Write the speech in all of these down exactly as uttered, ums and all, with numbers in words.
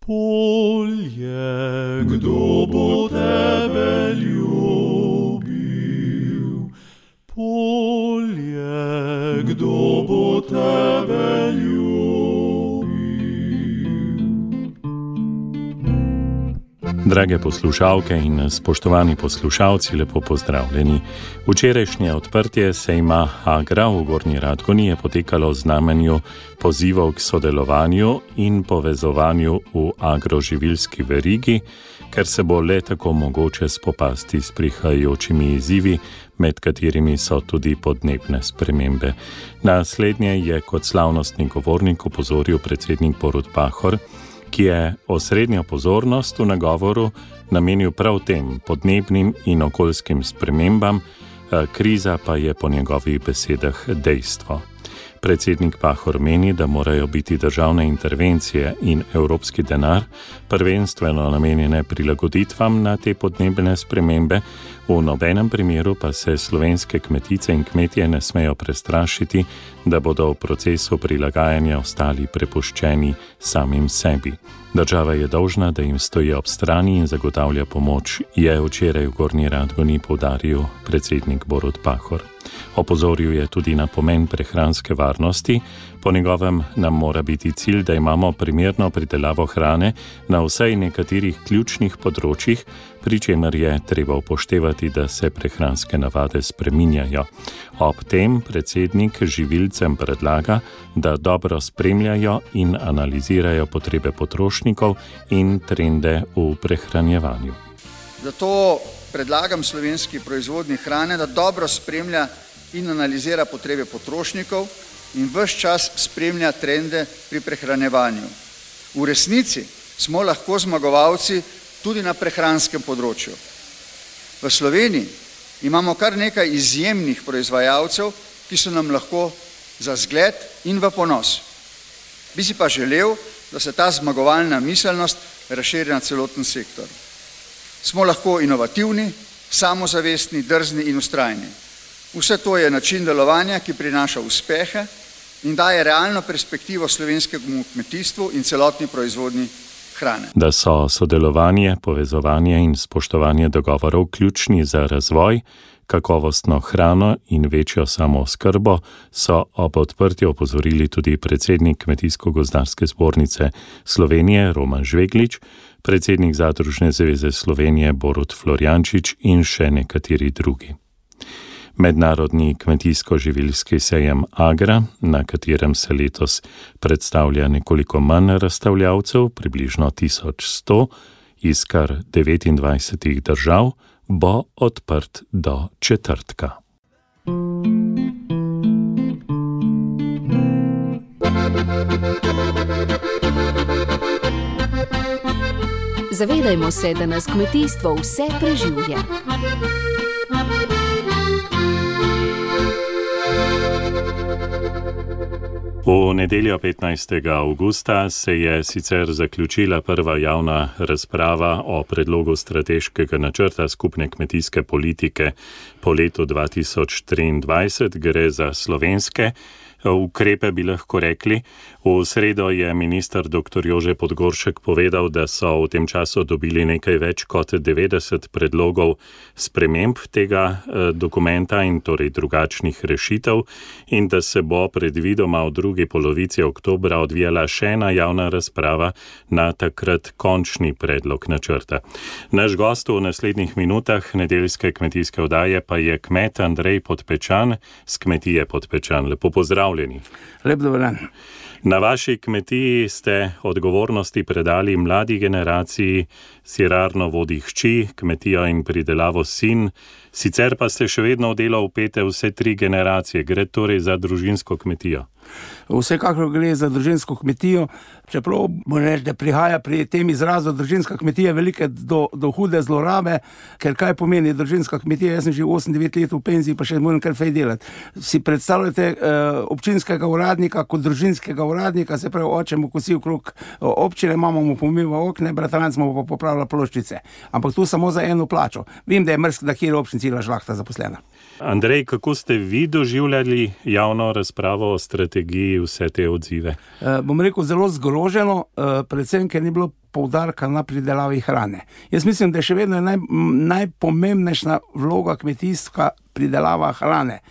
Polje, kdo bo tebe ljubil? Polje, kdo bo tebe ljubil? Drage poslušalke in spoštovani poslušalci, lepo pozdravljeni. Včerajšnje odprtje sejma Agra v Gornji Radgoni je potekalo v znamenju pozivov k sodelovanju in povezovanju v agroživilski verigi, ker se bo le tako mogoče spopasti s prihajajočimi izzivi, med katerimi so tudi podnebne spremembe. Naslednje je kot slavnostni govornik opozoril predsednik Borut Pahor, ki je osrednjo pozornost v nagovoru namenil prav tem podnebnim in okoljskim spremembam, kriza pa je po njegovih besedah dejstvo. Predsednik Pahor meni, da morajo biti državne intervencije in evropski denar prvenstveno namenjene prilagoditvam na te podnebne spremembe, v nobenem primeru pa se slovenske kmetice in kmetje ne smejo prestrašiti, da bodo v procesu prilagajanja ostali prepuščeni samim sebi. Država je dolžna, da jim stoji ob strani in zagotavlja pomoč, je včeraj v Gornji Radgoni poudaril predsednik Borut Pahor. Opozoril je tudi na pomen prehranske varnosti. Po njegovem nam mora biti cilj, da imamo primerno pridelavo hrane na vsaj nekaterih ključnih področjih, pri čemer je treba upoštevati, da se prehranske navade spreminjajo. Ob tem predsednik živilcem predlaga, da dobro spremljajo in analizirajo potrebe potrošnikov in trende v prehranjevanju. Zato predlagam slovenski proizvodnji hrane, da dobro spremlja in analizira potrebe potrošnikov in ves čas spremlja trende pri prehranjevanju. V resnici smo lahko zmagovalci tudi na prehranskem področju. V Sloveniji imamo kar nekaj izjemnih proizvajalcev, ki so nam lahko za zgled in v ponos. Bi si pa želel, da se ta zmagovalna miselnost razširi na celoten sektor. Smo lahko inovativni, samozavestni, drzni in vztrajni. Vse to je način delovanja, ki prinaša uspehe in daje realno perspektivo slovenskemu kmetijstvu in celotni proizvodnji hrane. Da so sodelovanje, povezovanje in spoštovanje dogovorov ključni za razvoj, kakovostno hrano in večjo samooskrbo, so ob odprtju opozorili tudi predsednik Kmetijsko-gozdarske zbornice Slovenije Roman Žveglič, predsednik Zadružne zveze Slovenije Borut Florjančič in še nekateri drugi. Mednarodni kmetijsko-živilski sejem Agra, na katerem se letos predstavlja nekoliko manj razstavljavcev, približno tisoč sto, iz kar devetindvajsetih držav, bo odprt do četrtka. Zavedajmo se, da nas kmetijstvo vse preživlja. V nedeljo petnajstega avgusta se je sicer zaključila prva javna razprava o predlogu strateškega načrta skupne kmetijske politike po letu dva tisoč triindvajset. Gre za slovenske ukrepe, bi lahko rekli. V sredo je minister doktor Jože Podgoršek povedal, da so v tem času dobili nekaj več kot devetdeset predlogov sprememb tega dokumenta in torej drugačnih rešitev in da se bo predvidoma v drugi polovici oktobra odvijala še ena javna razprava na takrat končni predlog načrta. Naš gost v naslednjih minutah nedeljske kmetijske oddaje pa je kmet Andrej Podpečan z kmetije Podpečan. Lepo pozdravljeni. Lep dober dan. Na vaši kmetiji ste odgovornosti predali mladi generaciji, sirarno vodi hči, kmetijo in pridelavo sin, sicer pa ste še vedno v delo vpete vse tri generacije. Gre torej za družinsko kmetijo? Vsekakor gre za družinsko kmetijo, čeprav moram reči, da prihaja pri tem izrazu družinska kmetija velike do, do hude zlorabe, ker kaj pomeni družinska kmetija? Jaz sem že osem devet let v penziji, pa še moram kar fej delati. Si predstavljate uh, občinskega uradnika kot družinskega uradnika, se pravi, oče mu kosi okrog občine, mama mu pomiva okne, bratranc mu pa popravlja ploščice. Ampak tu samo za eno plačo. Vem, da je mrsk, da kjer občin cela žlahta zaposlena. Andrej, kako ste vi doživljali javno razpravo o strategiji, vse te odzive? E, bom rekel, zelo zgroženo, e, predvsem, ker ni bilo poudarka na pridelavi hrane. Jaz mislim, da je še vedno naj, najpomembnejša vloga kmetijska pridelava hrane.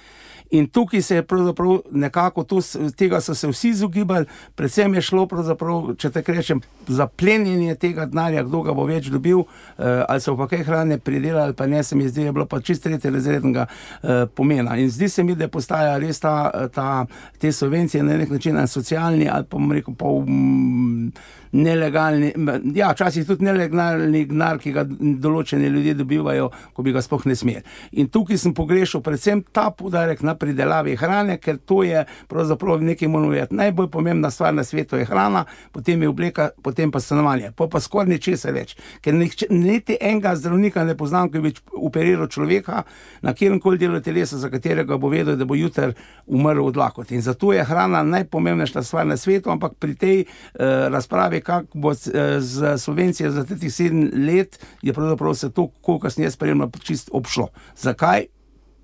In tukaj se je pravzaprav nekako, tu, tega so se vsi izogibali, predvsem je šlo pravzaprav, če tako rečem, za plenjenje tega denarja, kdo ga bo več dobil, eh, ali so pa kaj hrane pridelali, pa ne, se mi zdi, je bilo pa čist tretje razrednega eh, pomena. In zdi se mi, da postaja res ta, ta, te subvencije na nek način socialni, ali pa bom rekel, pa um, nelegalni, ja, včasih tudi nelegalni denar, ki ga določeni ljudje dobivajo, ko bi ga sploh ne smeli. In tukaj sem pogrešal predvsem ta poudarek na pridelavi hrane, ker to je pravzaprav nekaj moramo vedeti. Najbolj pomembna stvar na svetu je hrana, potem je obleka, potem pa stanovanje. Pa pa skoraj ničesar več. Ker nihče, niti enega zdravnika ne poznam, ki bi operiral človeka na kjerkoli delu telesa, za katerega bo vedel, da bo jutri umrl od lakote. In zato je hrana najpomembnejša stvar na svetu, ampak pri tej uh, razpravi, kako bo z subvencije za teh sedem let, je pravzaprav se to, koliko kasneje spremljalo, čist obšlo. Zakaj?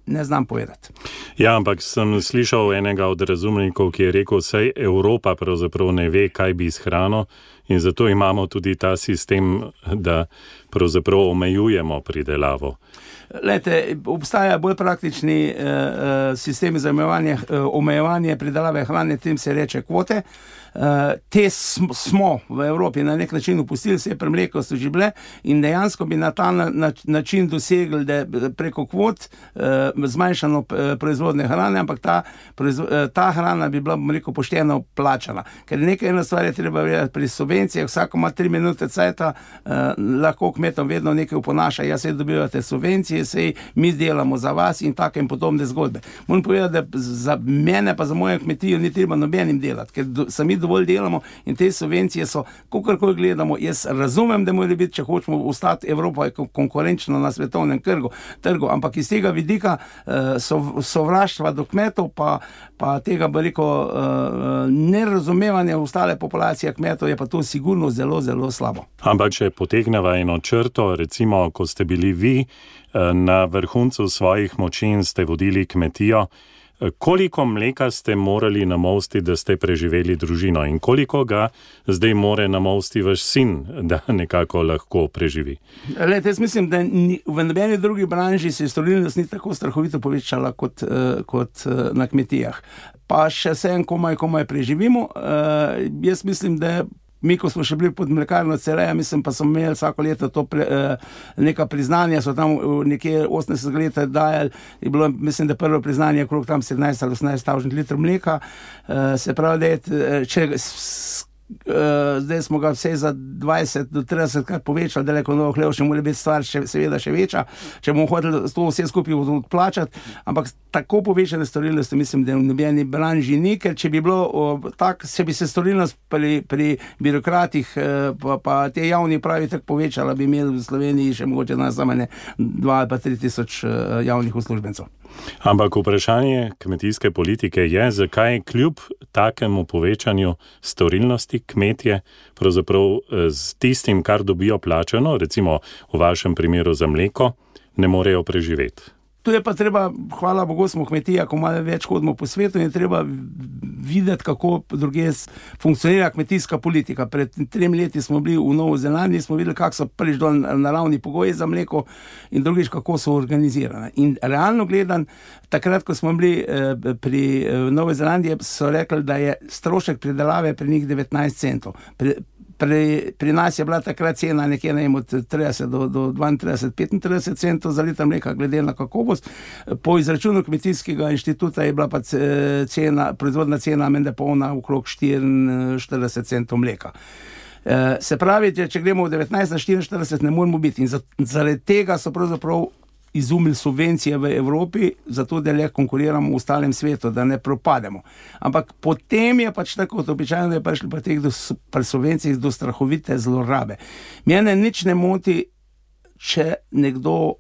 Ne znam povedati. Ja, ampak sem slišal enega od razumnikov, ki je rekel, saj Evropa pravzaprav ne ve, kaj bi s hrano in zato imamo tudi ta sistem, da pravzaprav omejujemo pridelavo. Lejte, obstaja bolj praktični eh, sistem za omejevanje, eh, omejevanje pridelave hrane, tem se reče kvote. Uh, te smo v Evropi na nek način upustili, se je premleko so že bile in dejansko bi na ta na, na, način dosegli, da preko kvot uh, zmanjšano proizvodne hrane, ampak ta, proizvo, uh, ta hrana bi bila, bom rekel, pošteno plačana. Ker nekaj ena stvar je treba vedeti pri subvencijah, vsako ima tri minute cajta, uh, lahko kmetom vedno nekaj uponaša, ja se dobivate subvencije, se mi delamo za vas in take in podobne zgodbe. Moram povedati, da za mene pa za mojo kmetijo ni treba nobenim delati, ker do, sami dovolj delamo in te subvencije so, kakorkoli gledamo, jaz razumem, da mora biti, če hočemo ostati, Evropa je konkurenčna na svetovnem trgu, trgu, ampak iz tega vidika uh, sovraštva do kmetov, pa, pa tega veliko uh, nerazumevanja ostale populacije kmetov, je pa to sigurno zelo, zelo slabo. Ampak če potegneva eno črto, recimo, ko ste bili vi uh, na vrhuncu svojih moči in ste vodili kmetijo, koliko mleka ste morali namolsti, da ste preživeli družino in koliko ga zdaj more namolsti vaš sin, da nekako lahko preživi? Lejte, jaz mislim, da ni, v nobeni drugi branži se storilnost ni tako strahovito povečala kot, uh, kot uh, na kmetijah. Pa še vsem komaj, komaj preživimo. Uh, jaz mislim, da mi, ko smo še bili pod mlekarno Celeja, mislim, pa smo imeli vsako leto to pre, eh, neka priznanja, so tam nekje osemdeset let dajali, je bilo, mislim, da prvo priznanje okrog tam sedemnajst ali osemnajst tisoč litrov mleka, eh, se pravi, da je, če s, Uh, zdaj smo ga vse za dvajset do trideset krat povečali, da leko novo hlev še mora biti stvar še, seveda še večja, če bomo hoteli to vse skupaj odplačati, ampak tako povečane storilnosti mislim, da v nobeni branži ni, ker če bi bilo uh, tak, če bi se storilnost pri, pri birokratih uh, pa, pa te javni pravi tako povečala, bi imeli v Sloveniji še mogoče na zamene dva ali pa tri tisoč uh, javnih uslužbencev. Ampak vprašanje kmetijske politike je, zakaj kljub takemu povečanju storilnosti kmetje pravzaprav z tistim, kar dobijo plačano, recimo v vašem primeru za mleko, ne morejo preživeti. Tu je pa treba, hvala Bogu, smo kmetija, ko malo več hodimo po svetu in je treba videti, kako druge funkcionira kmetijska politika. Pred trem leti smo bili v Novo Zelandiji, smo videli, kako so prvič dol naravni pogoji za mleko in drugič, kako so organizirane. In realno gledan, takrat, ko smo bili eh, pri eh, Novo Zelandiji, so rekli, da je strošek pridelave pri njih devetnajst centov. Pri, Pri, pri nas je bila takrat cena nekje ne, od trideset do, do dvaintrideset, petintrideset centov za liter mleka, glede na kakovost. Po izračunu kmetijskega inštituta je bila pa cena, proizvodna cena menda polna okrog štiriinštirideset centov mleka. E, se pravi, če, če gremo v devetnajst na štiriinštirideset, ne moramo biti. In zaradi tega so pravzaprav izumili subvencije v Evropi, zato da le konkuriramo v ostalem svetu, da ne propademo. Ampak potem je pač tako običajno, da je prišli pa teh do, pri subvencijah do strahovite zlorabe. Mene nič ne moti, če nekdo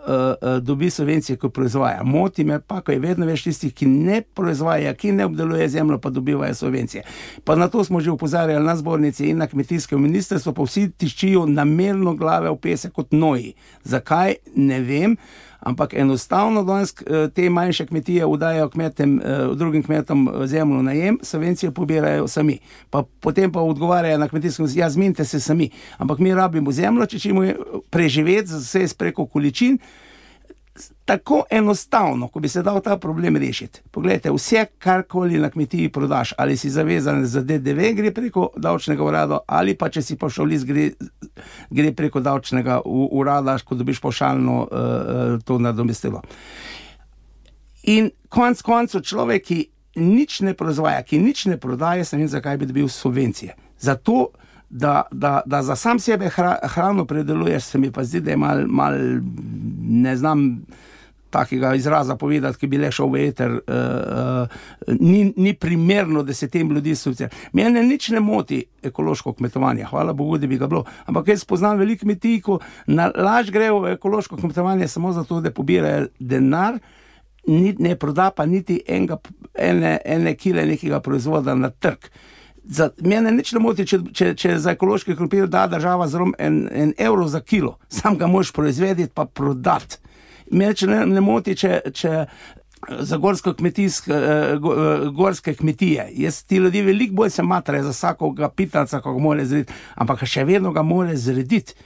uh, dobi subvencije, ko proizvaja. Moti me pa, ko je vedno več tistih, ki ne proizvaja, ki ne obdeluje zemljo, pa dobivajo subvencije. Pa na to smo že upozarjali na zbornici in na kmetijskem ministrstvu, pa vsi tiščijo namerno glave v pesek kot noji. Zakaj? Ne vem. Ampak enostavno danes te manjše kmetije udajajo kmetem, drugim kmetom zemljo najem, subvencije pobirajo sami. Pa potem pa odgovarjajo na kmetijskem, ja, zmenite se sami. Ampak mi rabimo zemljo, če ćemo preživeti vse preko količin. Tako enostavno, ko bi se dal ta problem rešiti. Poglejte, vse, karkoli na kmetiji prodaš, ali si zavezan za D D V, gre preko davčnega urada, ali pa če si pavšalist, gre, gre preko davčnega urada, ko dobiš pavšalno uh, to nadomestilo. In konc koncev človek, ki nič ne proizvaja, ki nič ne prodaje, se ne vem, zakaj bi dobil subvencije. Zato, da, da, da za sam sebe hra, hrano predeluješ, se mi pa zdi, da je mal, mal ne znam takega izraza povedati, ki bi le šel v eter, uh, uh, ni, ni primerno, da se tem ljudi subvencionira. Mene nič ne moti ekološko kmetovanje, hvala Bogu, da bi ga bilo. Ampak jaz poznam veliko kmetij, ko na laž grejo v ekološko kmetovanje samo zato, da pobirajo denar, ni, ne proda pa niti enega, ene, ene kile nekega proizvoda na trg. Za, mene nič ne moti, če, če, če za ekološki krompir da država zelo en, en evro za kilo, sam ga moš proizvedeti pa prodati. Mene ne, ne moti, če, če za gorsko kmetijske, gorske kmetije. Jaz ti ljudi veliko bolj se matre za vsakoga pitanca, ko ga more zrediti, ampak še vedno ga more zrediti.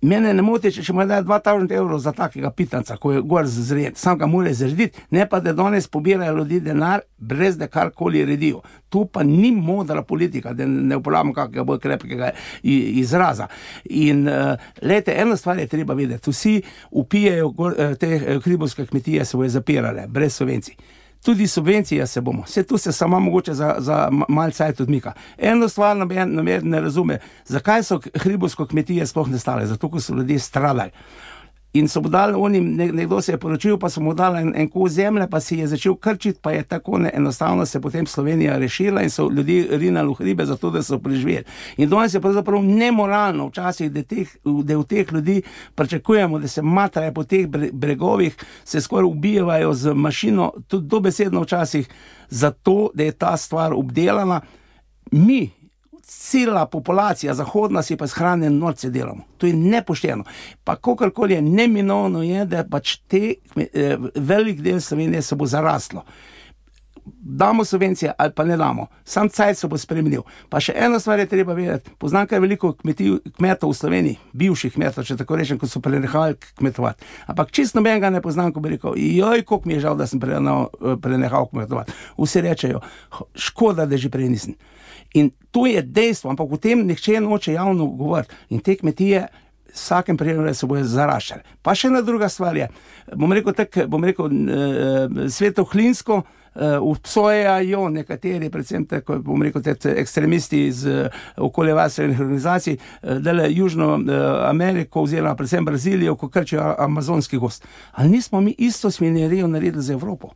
Mene ne moti, če mu daje dva tisoč evrov za takega pitanca, ko je gor zred, sam ga more zrediti, ne pa da danes pobirajo ljudi denar, brez da karkoli redijo. Tu pa ni modra politika, da ne uporabljam kakega bolj krepkega izraza. In uh, lejte, eno stvar je treba vedeti, vsi upijejo gor, te hribovske kmetije se bojo zapirale, brez subvencij. Tudi subvencije se bomo. Vse tu se samo mogoče za, za mal cajt odmika. Eno stvar nam je, nam je ne razume, zakaj so hribovsko kmetije sploh ne stale, zato ko so ljudje stradali. In so mu dali onim, nekdo se je poročil, pa so mu dali en, en kos zemlje, pa si je začel krčiti, pa je tako ne, enostavno se potem Slovenija rešila in so ljudi rinali v hribe zato, da so preživeli. In danes je pravzaprav nemoralno včasih, da, teh, da v teh ljudi pričakujemo, da se matrajo po teh bregovih, se skoraj ubijajo z mašino, tudi dobesedno včasih, zato, da je ta stvar obdelana. Mi, cela populacija zahodna si pa shrane norce delamo. To je nepošteno. Pa kakorkoli je neminovno je, da pač te eh, velik del Slovenije se bo zaraslo. Damo subvencije ali pa ne damo. Sam cajt se bo spremenil. Pa še eno stvar je treba vedeti. Poznam kaj veliko kmetij, kmetov v Sloveniji, bivših kmetov, če tako rečem, ko so prenehali kmetovati. Ampak čisto nobenega ne poznam, ko bi rekel, joj, koliko mi je žal, da sem prenehal, prenehal kmetovati. Vsi rečejo, škoda, da že prej nisem. In to je dejstvo, ampak v tem nihče noče javno govoriti. In te kmetije v vsakem primeru se bojo zaraščali. Pa še ena druga stvar je, bom rekel tako, bom rekel, e, svetohlinsko e, obsojajo nekateri, predvsem tako, bom rekel, te ekstremisti iz e, okoljevarstvenih organizacij, e, dele Južno e, Ameriko oziroma predvsem Brazilijo, ko krčijo amazonski gozd. Ali nismo mi isto svinjerijo naredili za Evropo?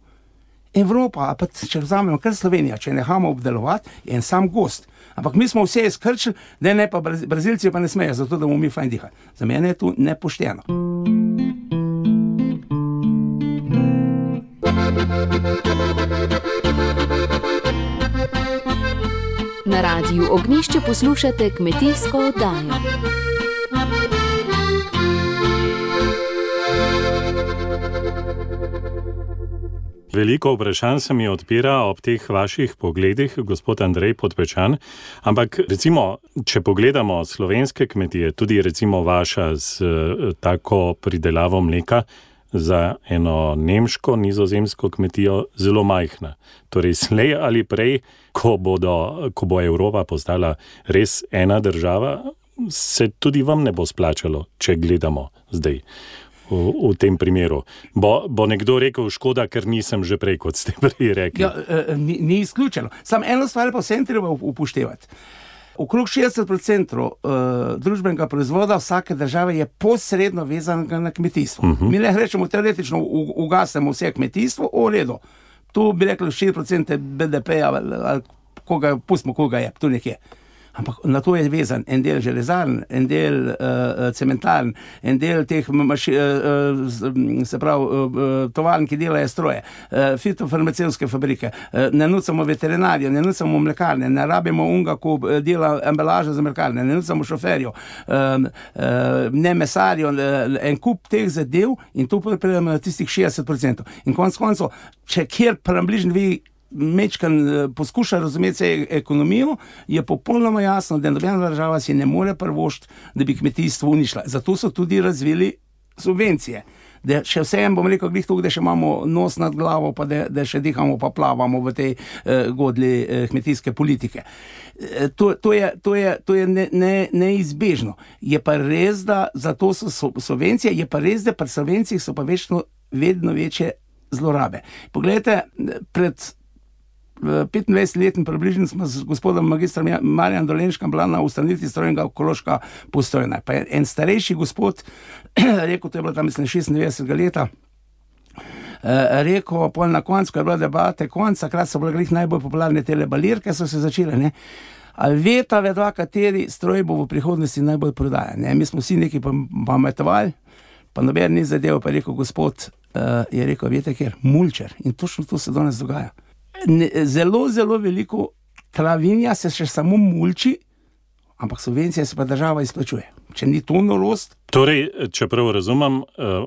Evropa, pa če vzamemo kar Slovenija, če nehamo obdelovati, je en sam gozd. Ampak mi smo vse izkrčili, da ne pa Brazilci pa ne smejo, zato da bomo mi fajn dihali. Za mene je to nepošteno. Na radiju Ognjišče poslušate kmetijsko oddajo. Veliko vprašanj se mi odpira ob teh vaših pogledih, gospod Andrej Podpečan, ampak recimo, če pogledamo slovenske kmetije, tudi recimo vaša z tako pridelavo mleka, za eno nemško, nizozemsko kmetijo zelo majhna. Torej, slej ali prej, ko, bodo, ko bo Evropa postala res ena država, se tudi vam ne bo splačalo, če gledamo zdaj. V, v tem primeru. Bo, bo nekdo rekel, škoda, ker nisem že prej, kot ste prej rekli. Ja, ni, ni izključeno. Sam eno stvar pa vsem treba upoštevati. Okrog šestdeset procentov uh, družbenega proizvoda vsake države je posredno vezanega na kmetijstvo. Uh -huh. Mi le rečemo, teoretično ugasnemo vse kmetijstvo, v redu. Tu bi rekli štiri procente B D P-ja, ali koga, pustimo, koga je, tu nekje. Ampak na to je vezan en del železarn, en del uh, cementarn, en del teh maši, uh, se pravi, uh, tovarn, ki delajo stroje, uh, fitofarmacevtske fabrike, uh, ne nucamo veterinarjev, ne nucamo mlekarne, ne rabimo unga, ko dela embalažo za mlekarne, ne nucamo šoferjev, uh, uh, ne mesarjev, uh, en kup teh zadev in to pripredemo na tistih šestdeset procentov. In konec koncev, če kjer približno vi mečkan poskuša razumeti se ekonomijo, je popolnoma jasno, da nobena država si ne more privoščiti, da bi kmetijstvo uničila. Zato so tudi razvili subvencije. Da še vsem bom rekel, glih tukaj, da še imamo nos nad glavo, pa da, da še dihamo, pa plavamo v tej eh, godli eh, kmetijske politike. Eh, to, to je, to je, to je ne, ne, neizbežno. Je pa res, da zato so subvencije, je pa res, da pri subvencijah so pa večno, vedno večje zlorabe. Poglejte, pred petindvajset let približno smo z gospodom magistrom Marjanom Dolenškom bila na ustanovitvi strojnega ekološka postojna. Pa je en starejši gospod rekel, to je bilo tam mislim šestindevetdesetega leta, rekel, pol na koncu, ko je bila debate konc, takrat so bile glih najbolj popularne tele balirke, so se začele, ne. Ali veta vedva, kateri stroj bo v prihodnosti najbolj prodajan, ne. Mi smo vsi neki pametovali, pa noben ni zadev, pa je rekel gospod, uh, je rekel, veste kjer, mulčer. In točno to se danes dogaja. Ne, zelo, zelo veliko travinja se še samo mulči, ampak subvencije se pa država izplačuje. Če ni to norost. Torej, čeprav razumem,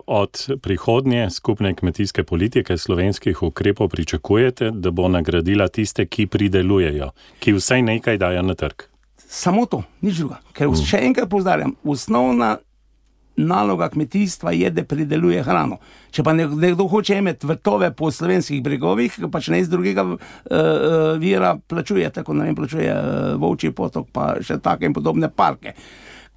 od prihodnje skupne kmetijske politike slovenskih ukrepov pričakujete, da bo nagradila tiste, ki pridelujejo, ki vsaj nekaj dajo na trg. Samo to, nič druga. Ker mm. še enkrat povzdarjam, osnovna naloga kmetijstva je, da prideluje hrano. Če pa nekdo hoče imeti vrtove po slovenskih bregovih, pač ne iz drugega uh, vira plačuje, tako ne vem, plačuje uh, Volčji potok, pa še take in podobne parke.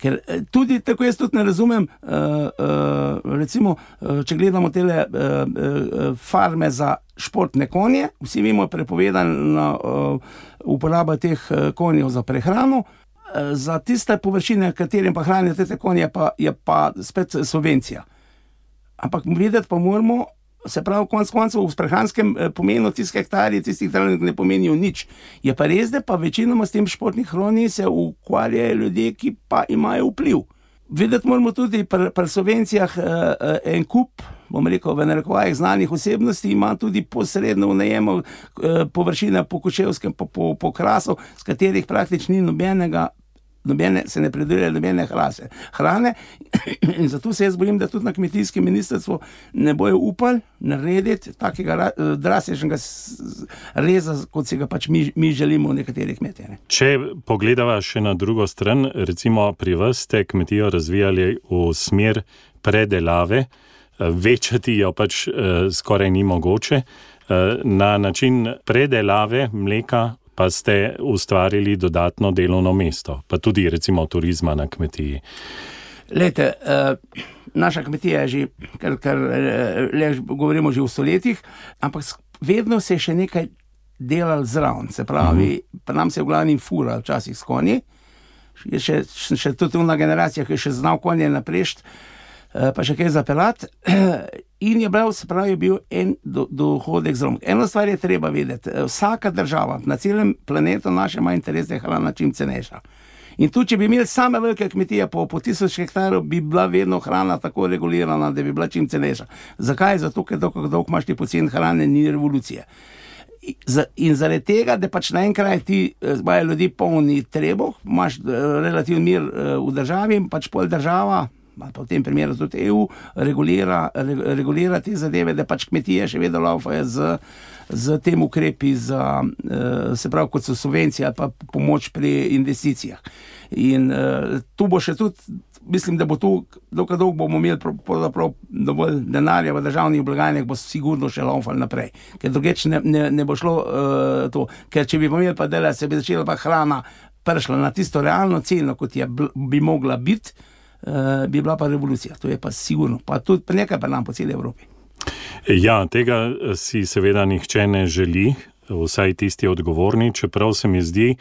Ker tudi, tako jaz tudi ne razumem, uh, uh, recimo, uh, če gledamo tele uh, uh, farme za športne konje, vsi vemo prepovedana uh, uporaba teh uh, konjev za prehrano, za tiste površine, katerim pa hranijo te konje, pa je pa spet subvencija. Ampak videti pa moramo, se pravi, konc koncev v prehranskem pomenu tistih hektarji, tistih hektarjev ne pomenijo nič. Je pa res, da pa večinoma s tem športnih hroni se ukvarjajo ljudje, ki pa imajo vpliv. Videti moramo tudi pri, pri subvencijah eh, en kup, bom rekel, v narekovajih znanih osebnosti, ima tudi posredno v najemu eh, površine po Kočevskem, po, po, po Krasu, s katerih praktično ni nobenega, nobene, se ne predeluje nobene hrase, hrane. In zato se jaz bojim, da tudi na kmetijskem ministrstvu ne bojo upali narediti takega drastičnega reza, kot si ga pač mi, mi želimo v nekaterih kmetijah. Ne. Če pogledava še na drugo stran, recimo pri vas ste kmetijo razvijali v smer predelave, večati jo pač eh, skoraj ni mogoče, eh, na način predelave mleka pa ste ustvarili dodatno delovno mesto, pa tudi recimo turizma na kmetiji. Lejte, uh, naša kmetija je že, kar, kar le, govorimo že v stoletjih, ampak vedno se je še nekaj delal zraven, se pravi, uh-huh. pa nam se je v glavnem fura včasih s konji, je še, še tudi una generacija, ki je še znal konje naprešt, uh, pa še kaj zapelat, in je bil, se pravi, bil en do, dohodek zraven. Eno stvar je treba vedeti, vsaka država na celem planetu naše ima interes, da je hrana čim cenejša. In tu, če bi imeli same velike kmetije po, po tisoč hektarov, bi bila vedno hrana tako regulirana, da bi bila čim cenejša. Zakaj? Zato, ker dolgo, dolgo imaš ti poceni hrane, ni revolucije. In zaradi tega, da pač naenkrat ti imajo ljudi polni trebuh, imaš relativni mir v državi, pač pol država, pa v tem primeru tudi E U, regulira, regulira te zadeve, da pač kmetije še vedno laufajo z, z tem ukrepi za, se pravi, kot so subvencije ali pa pomoč pri investicijah. In tu bo še tudi, mislim, da bo tu, dokaj dolgo bomo imeli pravzaprav dovolj denarja v državnih blagajnah, bo sigurno še laufal naprej. Ker drugeč ne, ne, ne bo šlo uh, to. Ker če bi imeli pa dela, se bi začela pa hrana prišla na tisto realno ceno, kot je bi mogla biti, Uh, bi bila pa revolucija, to je pa sigurno, pa tudi nekaj pa nam po celi Evropi. Ja, tega si seveda nihče ne želi, vsaj tisti odgovorni, čeprav se mi zdi,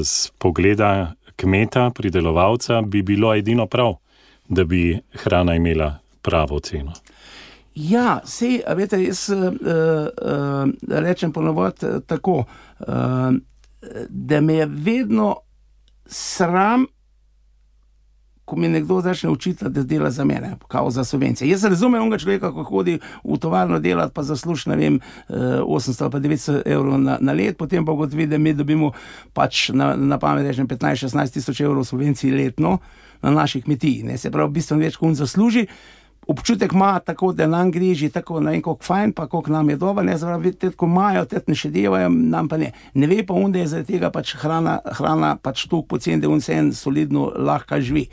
z pogleda kmeta, pridelovalca, bi bilo edino prav, da bi hrana imela pravo ceno. Ja, sej, a veste, jaz uh, uh, rečem ponovod tako, uh, da me je vedno sram, ko mi nekdo začne učiti, da dela za mene, kao za subvencije. Jaz razumem onega človeka, ko hodi v tovarno delati, pa zasluži, ne vem, osemsto ali pa devetsto evrov na, na let, potem pa ugotovi, da mi dobimo pač na, na pamet rečem petnajst šestnajst tisoč evrov subvencij letno na naši kmetiji. Ne? Se pravi, bistveno več, ko on zasluži. Občutek ima tako, da nam gre že tako, ne vem, koliko fajn, pa koliko nam je dobro, ne, zaradi tega, ko imajo, tega ne še devajo, nam pa ne. Ne ve pa on, da je zaradi tega pač hrana, hrana pač toliko poceni, da on se en solidno lahko živi.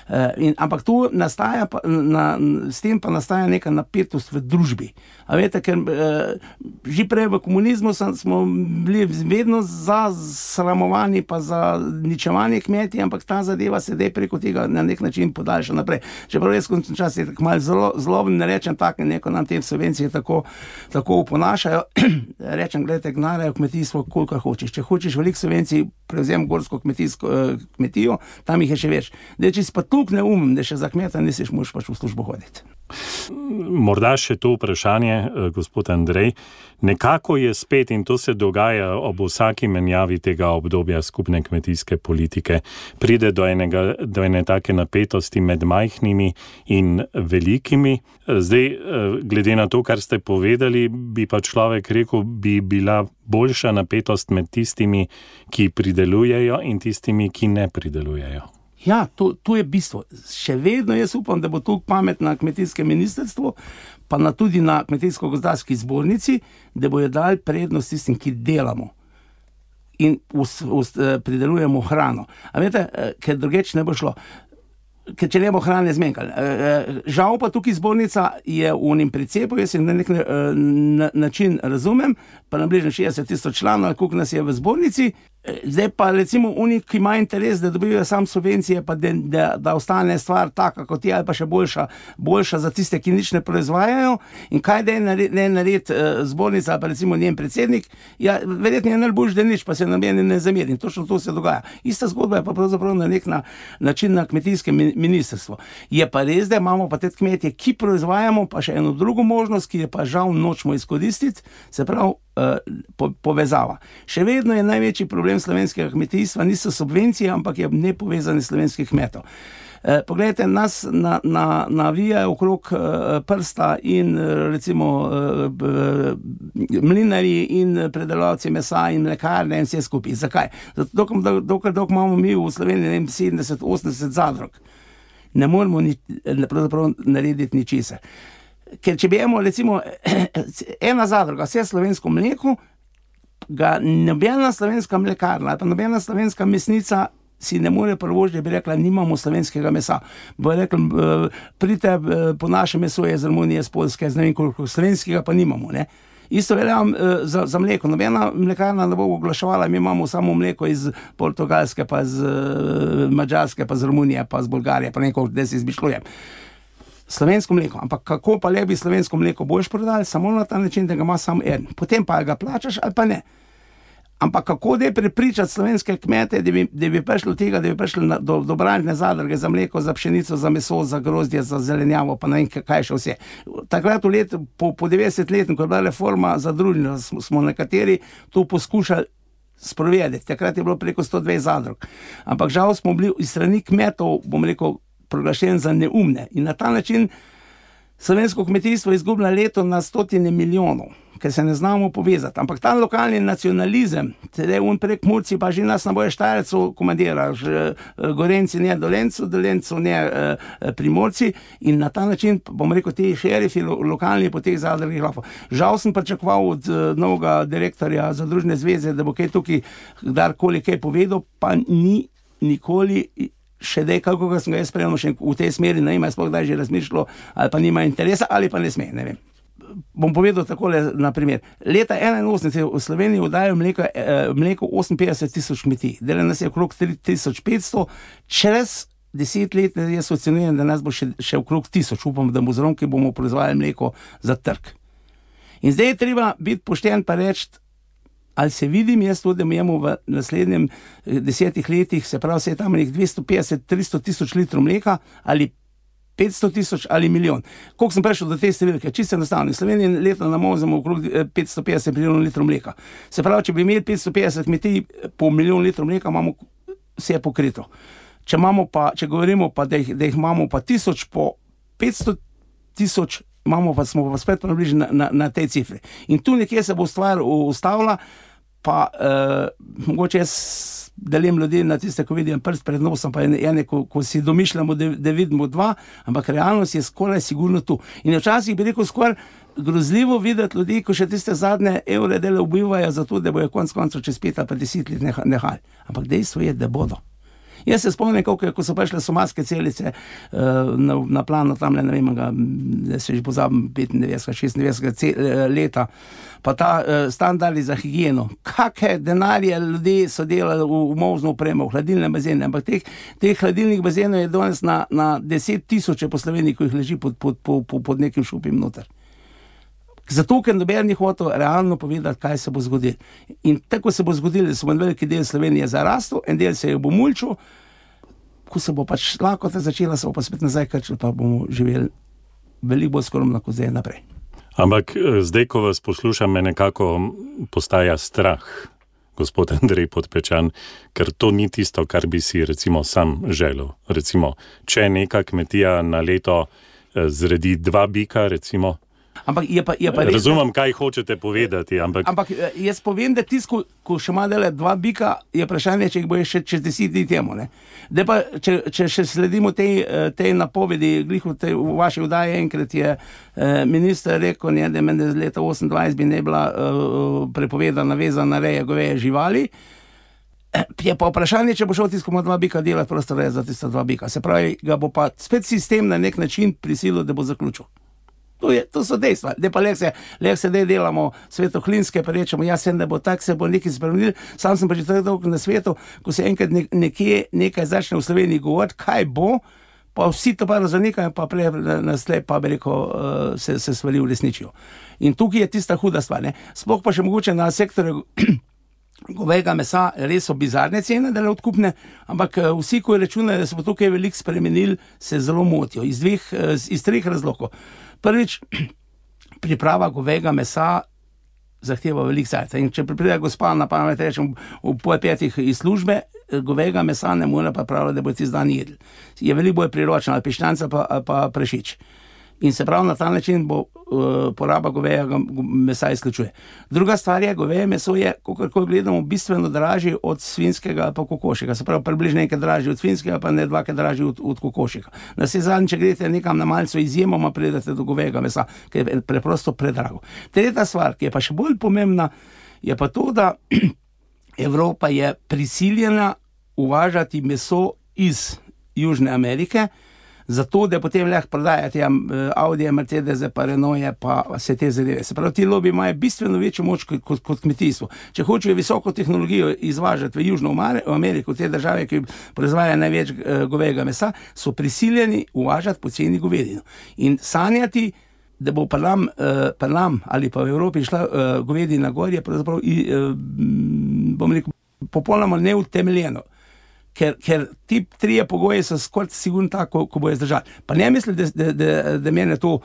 Uh, in, ampak tu nastaja, pa, na, s tem pa nastaja neka napetost v družbi. A veste, ker uh, že prej v komunizmu sem, smo bili vedno za sramovanje pa za ničevanje kmetij, ampak ta zadeva se dej preko tega na nek način podaljša naprej. Čeprav jaz končen čas je tako malo zelo, zlobno, ne rečem tako, neko nam te subvencije tako, tako uponašajo. Rečem, gledajte, gnarajo kmetijstvo, koliko hočeš. Če hočeš veliko subvencij, prevzem gorsko kmetijsko, uh, kmetijo, tam jih je še več. Dej, če si pa tukaj neumem, da še za kmeta nisiš moš pač v službo hoditi. Morda še to vprašanje, gospod Andrej. Nekako je spet, in to se dogaja ob vsaki menjavi tega obdobja skupne kmetijske politike, pride do, enega, do ene take napetosti med majhnimi in velikimi. Zdaj, glede na to, kar ste povedali, bi pa človek rekel, bi bila boljša napetost med tistimi, ki pridelujejo in tistimi, ki ne pridelujejo. Ja, to, to je bistvo. Še vedno jaz upam, da bo tu pamet na kmetijskem ministrstvu, pa na tudi na kmetijsko-gozdarski zbornici, da bojo dali prednost tistim, ki delamo in us, us, pridelujemo hrano. A veste, ker drugeč ne bo šlo. Ker če ne bo hrane zmanjkalo. Žal pa tukaj zbornica je v unim precepu, jaz na nek na, način razumem, pa nabližno šestdeset tisoč članov, koliko nas je v zbornici. Zdaj pa recimo oni, ki ima interes, da dobijo sam subvencije, pa da, da, da ostane stvar taka kot je, ali pa še boljša, boljša za tiste, ki nič ne proizvajajo. In kaj da je nared, ne nared uh, zbornica, ali pa recimo njen predsednik, ja, verjetno je najboljš, da nič, pa se nobeni ne zameri. In točno to se dogaja. Ista zgodba je pa pravzaprav na nek na, način na kmetijskem ministrstvu. Je pa res, da imamo pa te kmetje, ki proizvajamo, pa še eno drugo možnost, ki je pa žal nočemo izkoristiti, se pravi, Po, povezava. Še vedno je največji problem slovenskega kmetijstva, niso subvencije, ampak je nepovezani slovenskih kmetov. E, poglejte, nas na, na, navijajo okrog e, prsta in recimo e, mlinarji in predelavci mesa in mlekarne in vse skupaj. Zakaj? Zato, dokler, dokler, dokler imamo mi v Sloveniji sedemdeset osemdeset zadrug, ne moremo ni, pravzaprav narediti ničesar. Ker če bi imel recimo ena zadruga, vse slovensko mleko, ga nobena slovenska mlekarna ali pa nobena slovenska mesnica si ne more privoščiti, da bi rekla, nimamo slovenskega mesa. Bo rekla, pridite po naše meso je iz Romunije, iz Poljske, z ne vem koliko slovenskega pa nimamo, ne. Isto velja za, za mleko. Nobena mlekarna ne bo oglaševala, mi imamo samo mleko iz Portugalske, pa iz Madžarske, pa iz Romunije, pa iz Bolgarije, pa nekaj, da si izmišljujem. Slovensko mleko, ampak kako pa le bi slovensko mleko boš prodali, samo na ta način, da ga ima samo en. Potem pa ga plačaš ali pa ne. Ampak kako da je prepričati slovenske kmete, da bi, da bi prišli od tega, da bi prišli na, do, do branžne zadruge za mleko, za pšenico, za meso, za grozdje, za zelenjavo, pa ne vem kaj še vse. Takrat v let, po, po devetdeset let, ko je bila reforma zadružna, smo, smo nekateri to poskušali sprovedeti. Takrat je bilo preko sto dvajset zadrug. Ampak žal smo bili iz strani kmetov, bom rekel, proglašen za neumne. In na ta način slovensko kmetijstvo izgublja leto na stotine milijonov, ker se ne znamo povezati. Ampak ta lokalni nacionalizem, teda un prek Murci, pa že nas na boje Štajercev komandira, Gorenci ne Dolencu, Dolencu ne Primorci in na ta način, bom rekel, ti šerifi lokalni po teh zadrugih lahko. Žal sem pričakoval od novega direktorja Zadružne zveze, da bo kaj tukaj kdarkoli kaj povedal, pa ni nikoli še dej, kako sem ga jaz spremljal še v tej smeri, ne ima sploh kdaj že razmišljalo, ali pa nima interesa, ali pa ne sme, ne vem. Bom povedal takole, na primer. Leta enainosemdeset v Sloveniji oddajo mleko, eh, mleko oseminpetdeset tisoč kmetij. Dela nas je okrog tri tisoč petsto, čez deset let jaz ocenujem, da nas bo še, še okrog tisoč. Upam, da bo zrom, ki bomo proizvajali mleko za trg. In zdaj je treba biti pošten pa reči, ali se vidim jaz to, da imamo v naslednjem desetih letih, se pravi, se je tam nekaj dvesto petdeset do tristo tisoč litrov mleka, ali petsto tisoč ali milijon. Koliko sem prišel do te številke? Čisto enostavno. V Sloveniji letno namozimo okrog petsto petdeset milijonov litrov mleka. Se pravi, če bi imeli petsto petdeset kmetij po milijon litrov mleka, imamo vse je pokrito. Če, pa, če govorimo pa, da jih, da jih imamo pa tisoč po petsto tisoč, imamo pa, smo pa spet približni na, na, na tej cifri. In tu nekje se bo stvar ustavila, pa uh, mogoče jaz delim ljudi na tiste, ko vidim prst pred nosom, pa ene, ko, ko si domišljamo, da, da vidimo dva, ampak realnost je skoraj sigurno tu. In včasih bi rekel skoraj grozljivo videti ljudi, ko še tiste zadnje evre dele ubivajo za to, da bojo konc koncev čez pet ali pa deset let nehali. Ampak dejstvo je, da bodo. Jaz se spomnim, kako, ko so prišle somatske celice uh, na, na plano tam, ne vem, ga, da se že pozabim, petindevetdesetega, šestindevetdesetega leta, pa ta uh, standardi za higieno. Kakve denarje ljudi so delali v, v molzno opremo, v hladilne bazene, ampak teh, teh hladilnih bazenov je danes na, na deset tisoče po Sloveniji, ko jih leži pod, pod, pod, pod nekim šupim noter. Zato, ker noben ni hotel realno povedati, kaj se bo zgodilo. In tako se bo zgodilo, da se bo veliki del Slovenije zarastel, en del se jo bo mulčil, ko se bo pač lakota začela, se bo pa spet nazaj krčil, pa bomo živeli veliko bolj skromno, kot zdaj naprej. Ampak zdaj, ko vas poslušam, me nekako postaja strah, gospod Andrej Podpečan, ker to ni tisto, kar bi si recimo sam želel. Recimo, če neka kmetija na leto zredi dva bika, recimo, Ampak je pa, je pa res, razumem, kaj hočete povedati, ampak... Ampak jaz povem, da tisto, ko, ko še ima dele dva bika, je vprašanje, če jih bo še čez deset dni temu, ne. Da pa, če, če še sledimo tej, tej napovedi, glih v, tej, v vaši vdaji enkrat je eh, minister rekel, ne, da meni z leta osemindvajset bi ne bila eh, prepovedana vezana reja goveje živali. Je pa vprašanje, če bo šel tisto, ko ima dva bika delati, prosto reja za tista dva bika. Se pravi, ga bo pa spet sistem na nek način prisilil, da bo zaključil. To, je, to so dejstva. Zdaj pa lek se, lek se dej delamo svetohlinske, pa rečemo, ja sem, da bo tak, se bo nekaj spremenil. Sam sem pa že tako dolgo na svetu, ko se enkrat ne, nekje nekaj začne v Sloveniji govoriti, kaj bo, pa vsi to pa razanikajo, pa prej naslej pa bi rekel, uh, se, se stvari uresničijo. In tukaj je tista huda stvar, ne. Sploh pa še mogoče na sektorju govejega mesa res so bizarne cene, da le odkupne, ampak uh, vsi, ko računajo, da se bo tukaj veliko spremenil, se zelo motijo. Iz dveh, uh, iz treh razlogov. Prvič, priprava govejega mesa zahteva veliko cajta. In če pride gospa na pamet, rečem, v pol petih iz službe, govejega mesa ne more pa praviti, da bo tisti dan jedli. Je veliko bolj priročno, ali piščanca pa, pa prešič. In se pravi, na ta način bo uh, poraba govejega mesa izključuje. Druga stvar je, goveje meso je, kako gledamo, bistveno dražje od svinjskega ali pa kokošjega. Se pravi, približno nekaj dražje od svinjskega, pa ne dvakrat dražje od, od kokošjega. Na vse zadnje, če greste nekam na malco, izjemoma pridete do govejega mesa, ker je preprosto predrago. Tretja stvar, ki je pa še bolj pomembna, je pa to, da Evropa je prisiljena uvažati meso iz Južne Amerike, zato, da potem lahko prodajati Audije, Mercedese, pa Renaultje, pa vse te zadeve. Se pravi, ti lobi imajo bistveno večjo moč kot, kot kmetijstvo. Če hočejo visoko tehnologijo izvažati v Južno Ameriko, te države, ki proizvajajo največ govejega mesa, so prisiljeni uvažati poceni govedino. In sanjati, da bo pa nam, pa nam ali pa v Evropi šla govedina gor, je pravzaprav, bom rekel, popolnoma neutemeljeno. Ker, ker ti trije pogoji so skoraj sigurno tako, ko bojo zdržali. Pa ne mislim, da, da, da, da mene to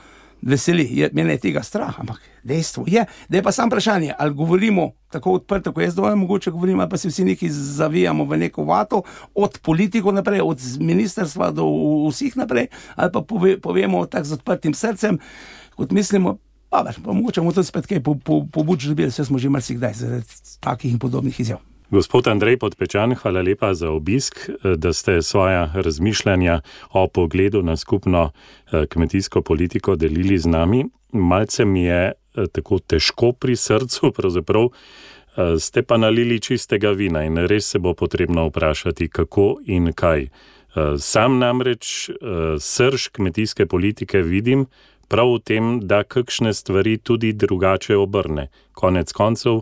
veseli, je, mene je tega strah, ampak dejstvo je, da je pa sam vprašanje, ali govorimo tako odprto, ko jaz dovolj mogoče govorim, ali pa se vsi neki zavijamo v neko vato, od politikov naprej, od ministrstva do vseh naprej, ali pa pove, povemo tako z odprtim srcem, kot mislimo, pa, pa mogoče bomo tudi spet kaj po, po, pobuč dobili, vse smo že marsikdaj zaradi takih in podobnih izjav. Gospod Andrej Podpečan, hvala lepa za obisk, da ste svoja razmišljanja o pogledu na skupno kmetijsko politiko delili z nami. Malce mi je tako težko pri srcu, pravzaprav ste pa nalili čistega vina in res se bo potrebno vprašati, kako in kaj. Sam namreč srž kmetijske politike vidim prav v tem, da kakšne stvari tudi drugače obrne. Konec koncev,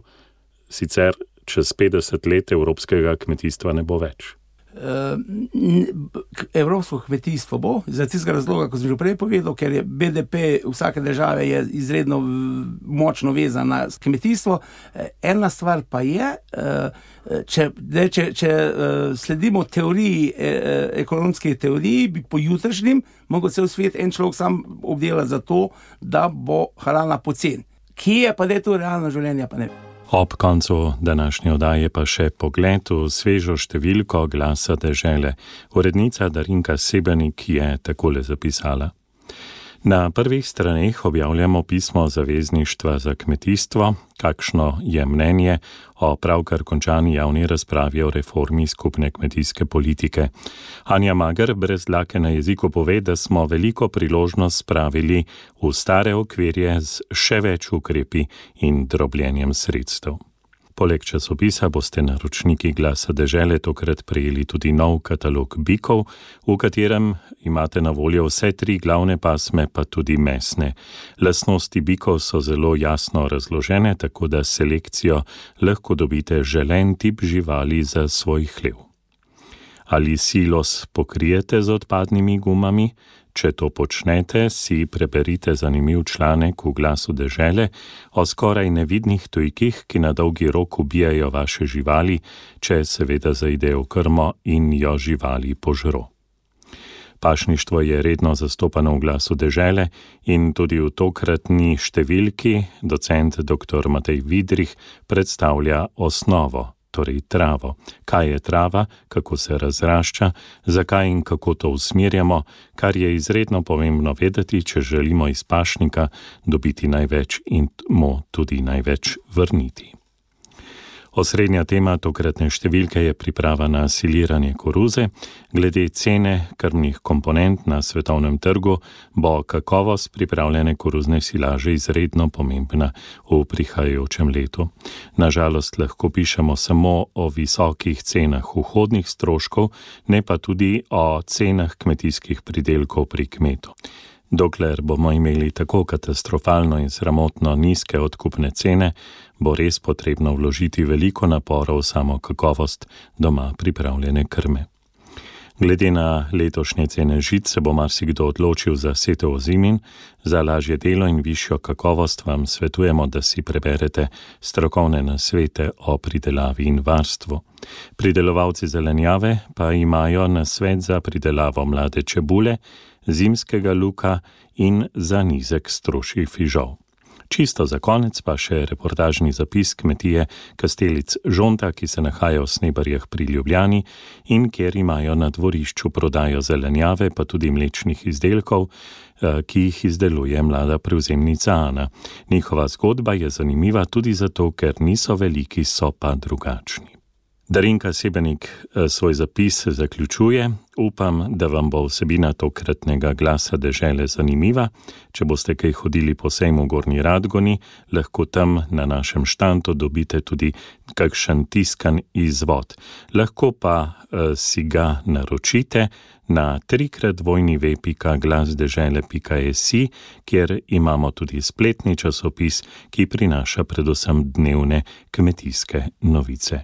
sicer čez petdeset let evropskega kmetijstva ne bo več. Evropsko kmetijstvo bo, za tistega razloga, ko sem že prej povedal, ker je B D P vsake države je izredno močno vezan na kmetijstvo. Ena stvar pa je, če, če, če sledimo teoriji, ekonomski teoriji, bi po jutrišnjem mogel cel svet en človek sam obdelati za to, da bo hrana poceni. Kje je pa da je to realno življenje, pa ne vem. Ob koncu današnje oddaje pa še pogled v svežo številko Glasa dežele. Urednica Darinka Sebenik je takole zapisala. Na prvih straneh objavljamo pismo Zavezništva za kmetijstvo, kakšno je mnenje o pravkar končani javni razpravi o reformi skupne kmetijske politike. Anja Mager brez dlake na jeziku pove, da smo veliko priložnost spravili v stare okvirje z še več ukrepi in drobljenjem sredstev. Poleg časopisa boste naročniki Glasa dežele tokrat prejeli tudi nov katalog bikov, v katerem imate na voljo vse tri glavne pasme, pa tudi mesne. Lastnosti bikov so zelo jasno razložene, tako da selekcijo lahko dobite želen tip živali za svoj hlev. Ali silos pokrijete z odpadnimi gumami? Če to počnete, si preberite zanimiv članek v Glasu dežele o skoraj nevidnih tujkih, ki na dolgi rok ubijajo vaše živali, če seveda zaidejo v krmo in jo živali požro. Pašništvo je redno zastopano v Glasu dežele in tudi v tokratni številki docent doktor Matej Vidrih predstavlja osnovo, torej travo. Kaj je trava, kako se razrašča, zakaj in kako to usmerjamo, kar je izredno pomembno vedeti, če želimo iz pašnika dobiti največ in mu tudi največ vrniti. Osrednja tema tokratne številke je priprava na siliranje koruze. Glede cene krmnih komponent na svetovnem trgu bo kakovost pripravljene koruzne silaže izredno pomembna v prihajajočem letu. Nažalost lahko pišemo samo o visokih cenah vhodnih stroškov, ne pa tudi o cenah kmetijskih pridelkov pri kmetu. Dokler bomo imeli tako katastrofalno in sramotno nizke odkupne cene, bo res potrebno vložiti veliko naporov v samo kakovost doma pripravljene krme. Glede na letošnje cene žit se bo marsikdo odločil za setev ozimin. Za lažje delo in višjo kakovost vam svetujemo, da si preberete strokovne nasvete o pridelavi in varstvu. Pridelovalci zelenjave pa imajo nasvet za pridelavo mlade čebule, zimskega luka in za nizek strošji fižol. Čisto za konec pa še reportažni zapis kmetije Kastelic Žonta, ki se nahaja v Snebarjah pri Ljubljani in kjer imajo na dvorišču prodajo zelenjave, pa tudi mlečnih izdelkov, ki jih izdeluje mlada prevzemnica Ana. Njihova zgodba je zanimiva tudi zato, ker niso veliki, so pa drugačni. Darinka Sebenik svoj zapis zaključuje. Upam, da vam bo vsebina tokratnega Glasa dežele zanimiva. Če boste kaj hodili po sejmu v Gornji Radgoni, lahko tam na našem štandu dobite tudi kakšen tiskan izvod. Lahko pa eh, si ga naročite na trikrat dvojni ve pika glasdežele pika si, kjer imamo tudi spletni časopis, ki prinaša predvsem dnevne kmetijske novice.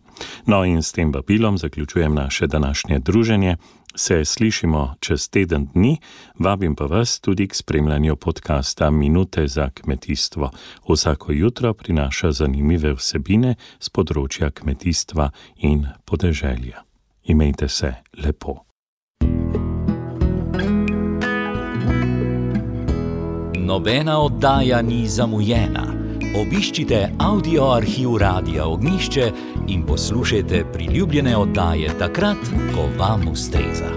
No in s tem vabilom zaključujem naše današnje druženje. Se slišimo čez teden dni, vabim pa vas tudi k spremljanju podcasta Minute za kmetijstvo. Vsako jutro prinaša zanimive vsebine z področja kmetijstva in podeželja. Imejte se lepo. Nobena oddaja ni zamujena. Obiščite audio arhiv Radia Ognjišče in poslušajte priljubljene oddaje takrat, ko vam ustreza.